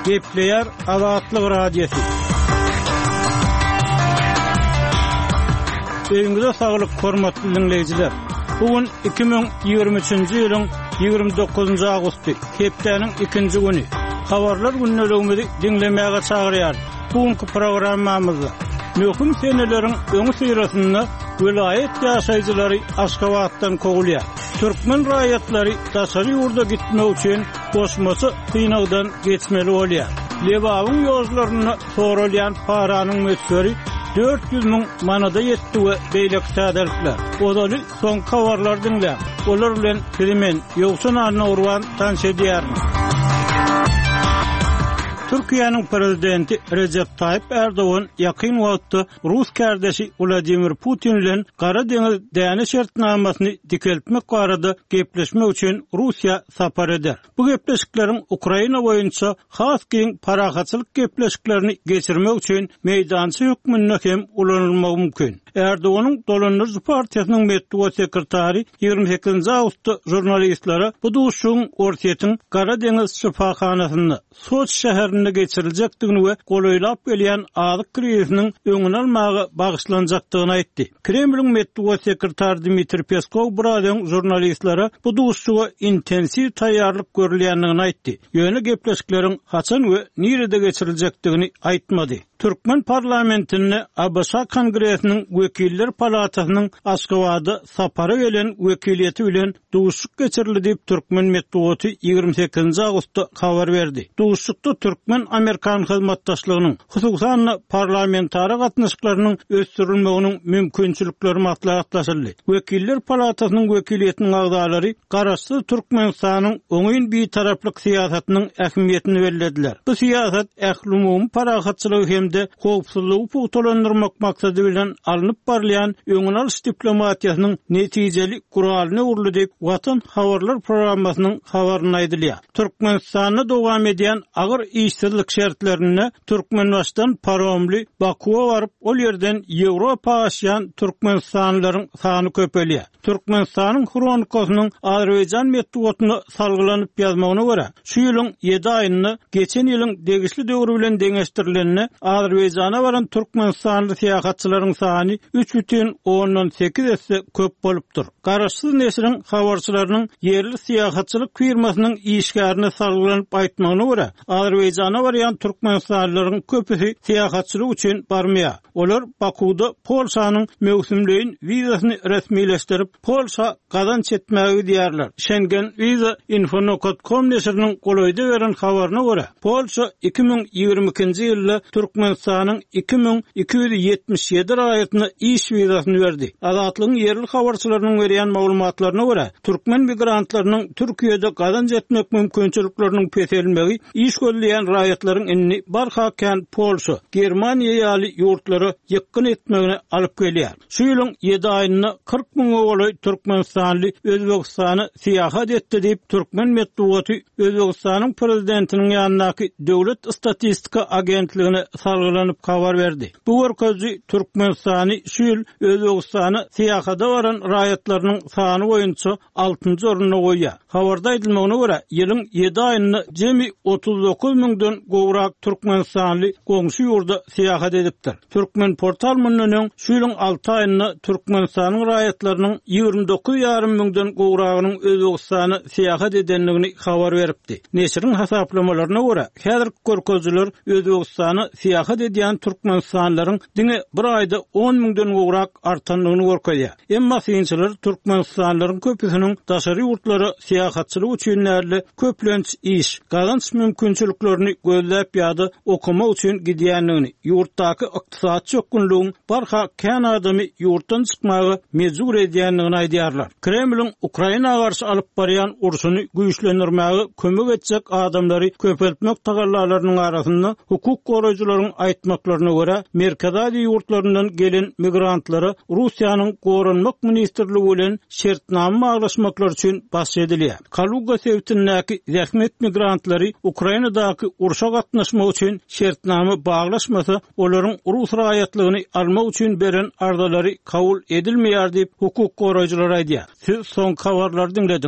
Gepleýär Azatlyk Radiosy. Öýüňize saglyk, hormatly diňleýjiler! Bu gün 2023-nji ýylyň 29-njy awgusty, hepdäniň ikinji güni. Habarlar gündeligimizi diňlemäge çagyrýarys. Bu günki programmamyzda möhüm seneleriň öňüsyrasynda welaýat ýaşaýjylary Aşgabatdan kowulýar. Türkmen raýatlary daşary ýurda gitmek üçin goşmaça synagdan geçmeli bolýar. Lebabyň ýollarynda soralýan paranyň möçberi 400 müň manada ýetdi we beýleki täzelikler. Ozaly soňky habarlary diňläň. Olar bilen sizi men, Ýowşan Annagurban tanyş edýärin. Türkiýäniň Prezidenti Rejep Taýyp Ärdogan ýakyn wagtda rus kärdeşi Wladimir Putin bilen Gara deňiz däne şertnamasyny dikeltmek barada gepleşmek üçin Russiýa sapar eder. Bu gepleşikleriň Ukraina boýunça has giň parahatçylyk gepleşiklerini geçirmek üçin meýdança hökmünde hem ulanylmagy mümkin. Erdoganyň dolandyryjy partiýasynyň metbugat sekretary 28-nji awgustda žurnalistlere bu duşuşygyň Orsýetiň Gara deňiz şypahanasynda, Soçi şäherinde geçiriljekdigini we golaýlap gelýän azyk krizisiniň öňüni almaga bagyşlanjakdygyny aýtdy. Kremliň metbugat sekretary Dmitriý Peskow biraz öň žurnalistlere bu duşuşyga intensiw taýýarlyk görülýändigini aýtdy, ýöne gepleşikleriň haçan we nirede geçiriljekdigini aýtmady. Türkmen parlamentinde ABŞ Kongresiniň Wekiller palatasynyň Aşgabada sapara gelen wekiliýeti bilen duşuşyk geçirildi diýip, türkmen metbugaty 28-nji awgustda habar berdi. Duşuşykda türkmen-amerikan hyzmatdaşlygynyň, hususan-da, parlamentara gatnaşyklarynyň ösdürilmeginiň mümkinçilikleri maslahatlaşyldy. Wekiller palatasynyň wekiliýetiniň agzalary Garaşsyz Türkmenistanyň oňyn bitaraplyk syýasatynyň ähmiýetini bellediler. Bu syýasat ählumumy parahatçylygy hem-de howpsuzlygy pugtalandyrmak maksady bilen alnyp barylýan öňüni alyş diplomatiýasynyň netijeli guralyna öwrüldi diýip, Watan habarlar programmasynyň habarynda aýdylýar. Türkmenistanda dowam edýän agyr işsizlik şertlerinde Türkmenbaşydan paromly Bakuwa baryp, ol ýerden Ýewropa aşýan türkmenistanlylaryň sany köpelýär. Türkmenistanyň Hronikasynyň azerbaýjan metbugatyna salgylanyp ýazmagyna görä, şu ýylyň ýedi aýynda geçen ýylyň degişli döwri bilen deňeşdirilende Azerbaýjana baran türkmenistanly syýahatçylaryň sany 3,8 esse köp bolupdyr. Garaşsyz neşiriň habarçylarynyň ýerli syýahatçylyk firmasynyň işgärine salgylanyp aýtmagyna görä, Azerbaýjana barýan türkmenistanlylaryň köpüsi syýahatçylyk üçin barmaýar. Olar Bakuwda Polşanyň möwsümleýin wizasyny resmileşdirip, Polşa gazanç etmäge gidýärler. Şengen Wiza Info nokat kom neşiriniň golaýda beren habaryna görä, Polşa 2022-nji ýylda Türkmenistanyň 2277 raýatyna iş wizasyny berdi. Azatlygyň ýerli habarçylarynyň berýän maglumatlaryna görä, türkmen migrantlarynyň Türkiýede gazanç etmek mümkinçilikleriniň peselmegi Iş gözleýän raýatlaryň indi barha kän Polşa, Germaniýa ýaly ýurtlara ýykgyn etmegine alyp gelýär. Şu ýylyň ýedi aýynda 40 müňe golaý türkmenistanly Özbegistana syýahat etdi diýip, türkmen metbugaty Özbegistanyň prezidentiniň ýanyndaky Döwlet statistika agentligine salgylanyp habar berdi. Bu görkeziji Türkmenistany şu ýyl Özbegistana syýahada baran raýatlarynyň sany boýunça altynjy orunda goýýar. Habarda aýdylmagyna görä, ýylyň ýedi aýynda jemi 39 müňden gowrak türkmenistanly goňşy ýurda syýahat edipdir. Türkmenportal mundan öň şu ýylyň alty aýynda Türkmenistanyň raýatlarynyň 29 ýarym müňden gowragynyň Özbegistana syýahat edendigini habar beripdi. Neşiriň hasaplamalaryna görä, häzirki görkezijiler Özbegistana syýahat edýän türkmenistanlylaryň diňe bir aýda on müňden gowrak artandygyny görkezýär. Emma synçylar türkmenistanlylaryň köpüsiniň daşary ýurtlara syýahatçylyk üçin däl-de, köplenç iş, gazanç mümkinçiliklerini gözläp ýa-da okamak üçin gidýändigini, ýurtdaky ykdysady çökgünligiň barha kän adamy ýurtdan çykmaga mejbur edýändigini aýdýarlar. Kremliň Ukraina garşy alyp barýan urşuny güýçlendirmäge kömek etjek adamlary köpeltmek tagallalarynyň arasynda, hukuk goraýjylaryň aýtmaklaryna görä, Merkezi Aziýa ýurtlaryndan gelen migrantlara Russiýanyň Goranmak ministrligi bilen şertnama baglaşmaklary üçin baş edilýär. Kaluga sebitindäki zähmet migrantlary Ukrainadaky urşa gatnaşmak üçin şertnama baglaşmasa, olaryň rus raýatlygyny almak üçin beren arzalary kabul edilmeýär diýip, hukuk goraýjylar aýdýar. Siz soňky habarlary diňlediňiz.